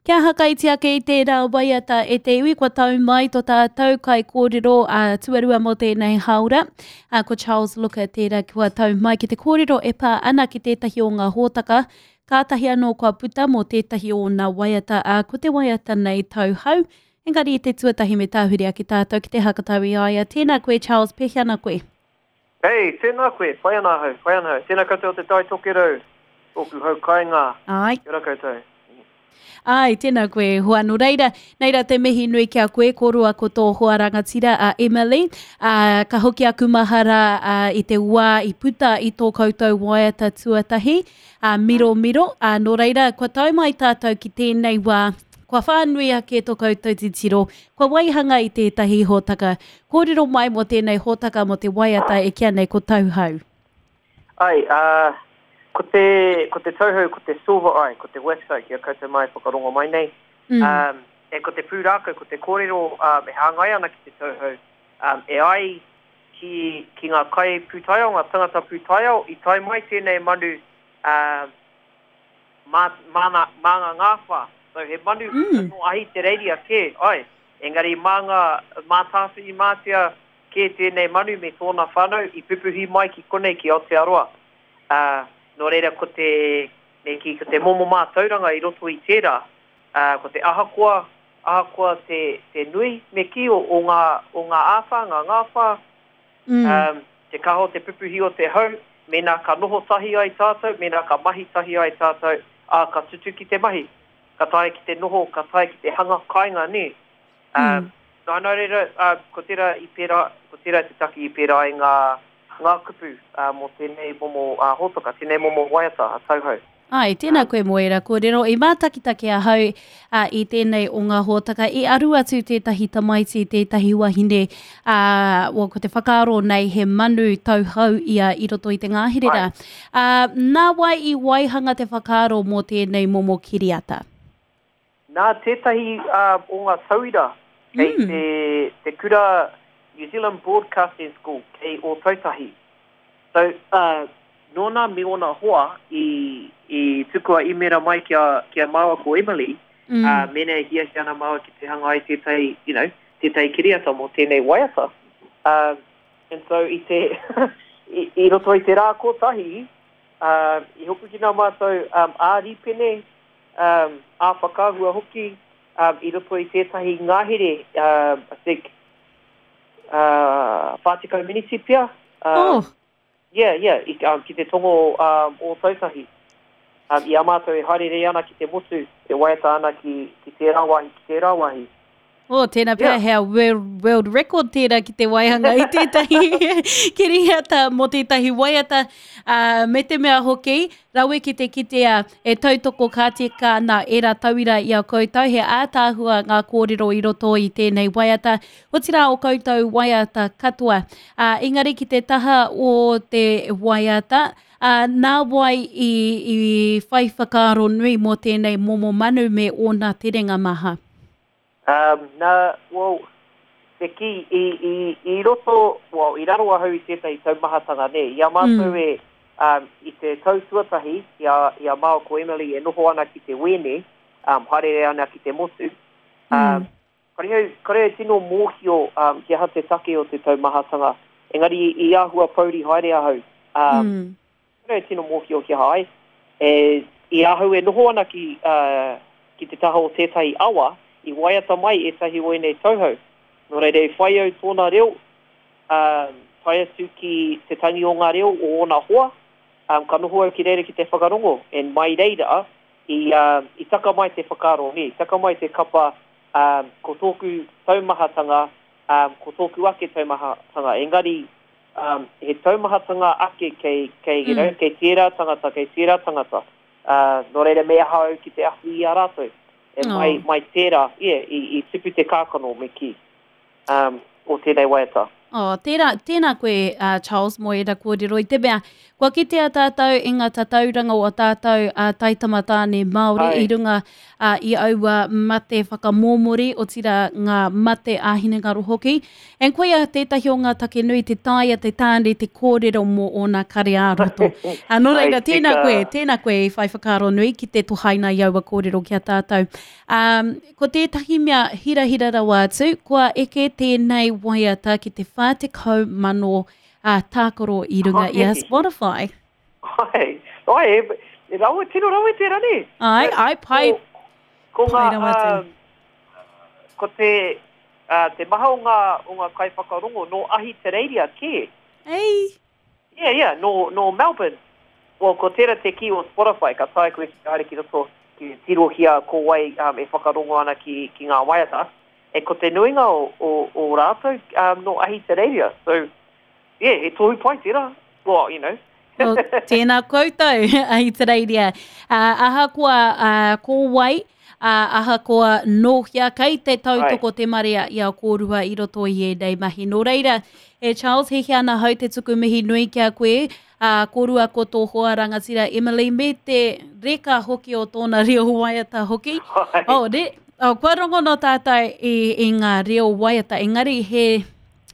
Kia hakaiti ake i tērā waiata e te iwi kua tau mai to tātou kaikōrero a tuarua mō tēnei hāora. A, ko Charles Looker tērā kua tau mai ki te kōrero e pā ana ki tētahi o ngā hōtaka kātahi anō kua puta mō tētahi o ōna waiata, ā, ko te waiata nei Tauhau. Engari i te tuatahi me tāhuri ake tātou ki te hakatau i a ia. Tēnā koe Charles, pēhea ana koe? Hey, tēnā koe, pai ana ahau, pai ana ahau. Tēnā koutou o Te Tai Tokerau, tōku hau kainga. Āe. Kia ora koutou. Āe, tēnā koe e hoa. Nō reira, nei rā te mihi nui ki a koe, kōrua ko tō hoa rangatira a Emily. Ā, ka hoki aku mahara ā, i te wā i puta i tō koutou waiata tuatahi, ā, Miromiro. Ā, nō reira, kua tae mai tātou ki tēnei wā, kua whānui ake tō koutou titiro, kua waihanga i tētahi hōtaka. Kōrero mai mō tēnei hōtaka mō te waiata e kīa nei ko Tauhau. Ai, ā, ko te, ko te tauhou, ko te silver eye, ko te wax eye ki a koutou mā e whakarongo mai nei. Mm. Ā, e ko te pūrākau, ko te kōrero ā, e hāngai ana ki te tauhou, ā, e ai ki, ki ngā kai pūtaiao, ngā tangata pūtaiao, i tae mai tēnei manu, ā, mā, māna, mā ngā ngāwhā. So he manu mm. nō Ahitereiria kē, ai. Engari mā ngā, mā Tāwhirimātea, Kē tēnei manu me tōna whānau i pupuhi mai ki konei ki Aotearoa. Ā, nō reira ko te, me kī, ko te momo mātauranga i roto i tērā, ā, ko te ahakoa, ahakoa te, te nui, me kī, o, o ngā, o ngā āwhā, ngā ngāwhā, ā, te kaha o te pupuhi o te hau, mēnā ka noho tahi ai tātou, mēnā ka mahi tahi ai tātou, ā, ka tutuki te mahi. Ka taea ki te noho, ka taea ki te hanga kāinga, nē. Ā, nā, nā reira, ā, ko tērā i pērā, ko tērā te take i pērā ai ngā, ngā kupu, ā, mō tēnei momo, ā, hōtaka, tēnei momo waiata a Tauhou. Āe, tēnā koe mō ērā kōrero. I mātakitaki ahau, ā, i tēnei o ngā hōtaka, i aru atu tētahi tamaiti, tētahi wahine, ā, well, ko te whakaaro nei he manu tauhou ia i roto i te ngahere rā. Ā, nā wai i waihanga te whakaaro mō tēnei momo kiriata? Nā tētahi o ngā tauira kei te, te kura New Zealand Broadcasting School kei Ōtautahi. So, uh, nōna me ōna hoa i, i tukua īmēra mai ki a, ki a māua ko Emily, mm. uh, mēnā e hiahia ana māua ki te hanga ai tētahi, you know, tētahi kiriata mō tēnei waiata. Uh, and so i te, i, i roto i te rā kotahi, uh, i hopukina mātou um, ā-rīpene, um, ā-whakaahua hoki um, i roto i tētahi ngahere, um, I think, uh, 40 miniti pea. Um, oh. Yeah, yeah, i, um, ki te tongo um, Ōtautahi. Um, i a mātou e haerere ana ki te motu, e waiata ana ki, ki tērā wāhi, ki tērā wāhi. Oh, tēnā pea yeah. hea world, world record tērā ki te waihanga i tētahi kiriata mō tētahi waiata. Uh, me te mea hoki, rawe ki te kitea e tautoko ka tika ana ērā tauira i a koutou, he ātaahua ngā kōrero i roto i tēnei waiata, otirā o koutou waiata katoa. Uh, engari ki te taha o te waiata, uh, nā wai i, i whai whakaaro nui mō tēnei momo manu me ōna terenga maha? Um, nā, well, te kī, i, i, i roto, well, i raro ahau i tētahi taumahatanga, nē, i a mātou mm. e, um, i te tau tuatahi, i a, i a māua ko Emily e noho ana ki te wēne, um, haerere ana ki te motu, um, mm. kare au, kare au tino mōhio um, ki aha te take o te taumahatanga, engari i, i āhua pouri haere ahau. Um, mm. Kāore e tino mōhio ki aha ai. E, i ahau e noho ana ki, ā, ki te taha o tētahi awa, i waiata mai ētahi o ēnei tauhou. Nō reira, i whai au tōna reo, ā, tae atu ki te tangi o ngā reo o ōna hoa, ā, ka noho au ki reira ki te whakarongo, and mai reira, i, ā, i taka mai te whakaaro, nē, i taka mai te kapa, ā, ko tōku taumahatanga, ā, ko tōku ake taumahatanga, engari, um, he taumahatanga ake kei, kei, you know, mm. kei tērā tangata, kei tērā tangata. Uh, nō reira me aha au ki te awhi i a rātou. E oh. mai, mai tērā, yeah, i, i tupu te kākano me kī, um, o tēnei waiata. Oh, tērā, tēnā koe, uh, Charles, mō ērā kōrero i te mea. Kua kitea tātou i ngā tatauranga o a tātou a taitamatāne Māori i runga ā, i aua mate whakamōmori, otirā ngā mate ā-hinengaro hoki. And koia tētahi o ngā take nui te taea te tāne te kōrero mō ōna kare ā-roto. Ā, nō reira, tēnā koe, tēnā koe i whai whakaaro nui ki te tohaina i aua kōrero ki a tātou. Ā, ko tētahi mea hirahira rawa atu, kua eke tēnei waiata ki te 40,000 ā, tākaro i runga i a Spotify. Ai, ai, e, e rawe, tino rawe tērā, nē? Ai, ai, pai. Ko, ko ngā, um, ko te, uh, te maha o ngā, o ngā kaiwhakarongo nō Ahitereiria kē. Ei! Yeah, yeah, nō, nō Melbourne. Well, ko tērā te kī o Spotify, ka taea koe ki te haere ki roto, ki te tirohia ko wai um, e whakarongo ana ki, ki ngā waiata. E ko te nuinga o, o, o rātou um, nō Ahitereiria. So, Yeah, he tohu pai tērā. Well, you know. Well, tēnā koutou, Ahitereiria. Ahakoa ko wai, ahakoa nō hea, kei te tautoko te marea i a kōrua i roto i ēnei mahi. Nō reira, e Charles, he hea ana hau te tuku mihi nui ki a koe, kōrua ko tō hoa rangatira Emily, me te reka hoki o tōna reo waiata hoki. Oh, ne? Oh, kua rongono tātou i, i ngā reo waiata, engari he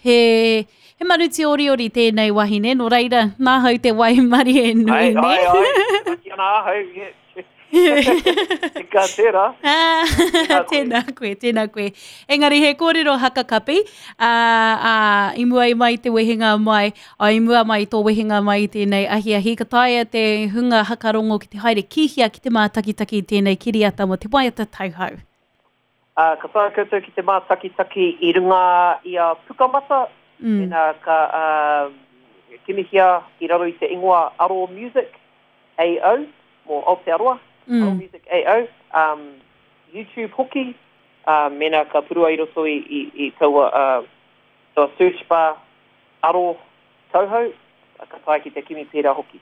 He, he manu tīoriori tēnei wahine, nō reira, nāhau te waimarie nui, nē? Ai, ai, ai, taki ana ahau, yeah. Tika tērā. Ah, tēnā koe, tēnā koe. Engari he kōrero hakakapi, ā, ā, i mua i mai te wehenga mai, ā, i mua mai tō wehenga mai i tēnei ahiahi, ka taea te hunga hakarongo ki te haere ki hea ki te mātakitaki i tēnei kiriata mō te waiata tauhou. Ā, ka taea koutou ki te mātakitaki i runga i a Pukamata, mēnā ka kimihia i raro i te ingoa Aro Music AO, mō Aotearoa, Aro Music AO, YouTube hoki, mēnā ka purua i roto i taua search bar Aro Tauhou, ka taea ki te kimi pērā hoki.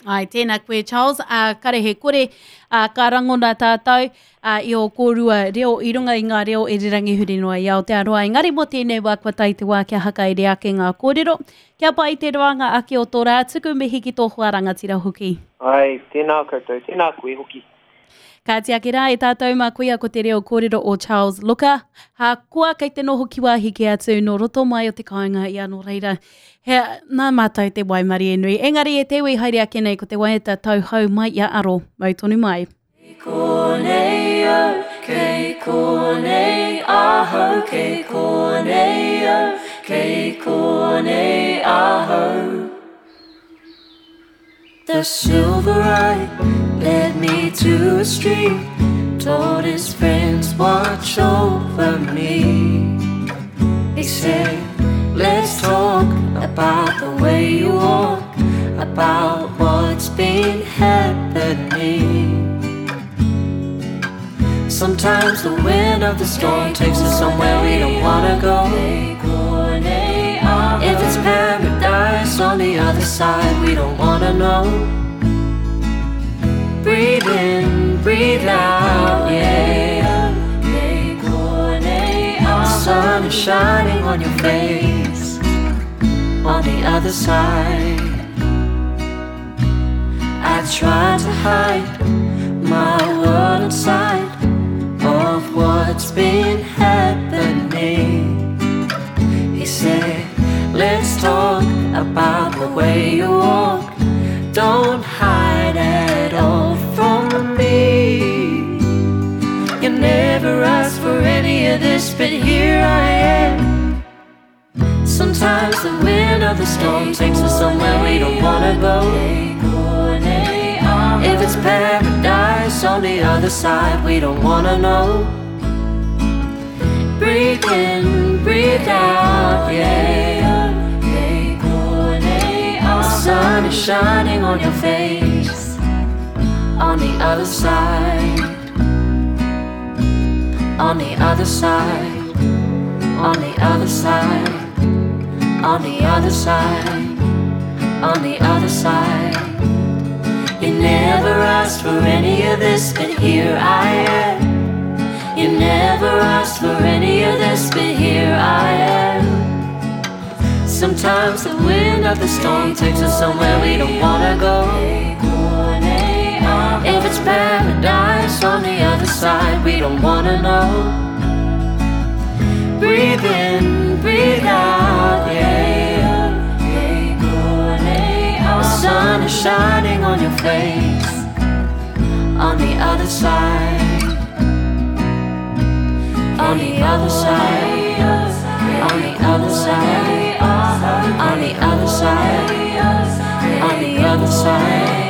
Āe, tēnā koe Charles, ā, kare he kore, ā, ka rangona tātou, ā, i ō kōrua reo i runga i ngā reo irirangi huri noa i Aotearoa. Engari mō tēnei wā kua tae te wā kia hakaere ake ngā kōrero, kia pai te roanga ake o tō rā, tuku mihi ki tō hoa rangatira hoki. Āe, tēnā koutou, tēnā koe hoki. Kāti ake rā e tātou mā koia ko te reo kōrero o Charles Looker, hakoa kei te noho ki wāhi kē atu nō roto mai o te kāinga ia nō reira, he, nā mātou te waimarie nui. Engari e te iwi haere ake nei ko te waiata tauhou mai i a Aro, mau tonu mai. Kei konei au, kei konei ahau, kei konei au, kei konei ahau. The silver eye led me to a stream Told his friends watch over me He said, let's talk about the way you walk About what's been happening Sometimes the wind of the storm takes us somewhere we don't wanna go If it's paradise on the other side, we don't wanna know Breathe in, breathe out, yeah The sun is shining on your face On the other side I try to hide my world inside Of what's been happening He said, let's talk about the way you walk Don't hide at all from me You never asked for any of this, but here I am Sometimes the wind of the storm takes us somewhere we don't wanna go If it's paradise on the other side, we don't wanna know Breathe in, breathe out, yeah The sun is shining on your face On the other side On the other side On the other side On the other side On the other side You never asked for any of this, but here I am You never asked for any of this, but here I am. Sometimes the wind of the storm takes us somewhere we don't wanna go. If it's paradise on the other side, we don't wanna know. Breathe in, breathe out, yeah. The sun is shining on your face on the other side. On the other side, on the other side, on the other side, on the other side.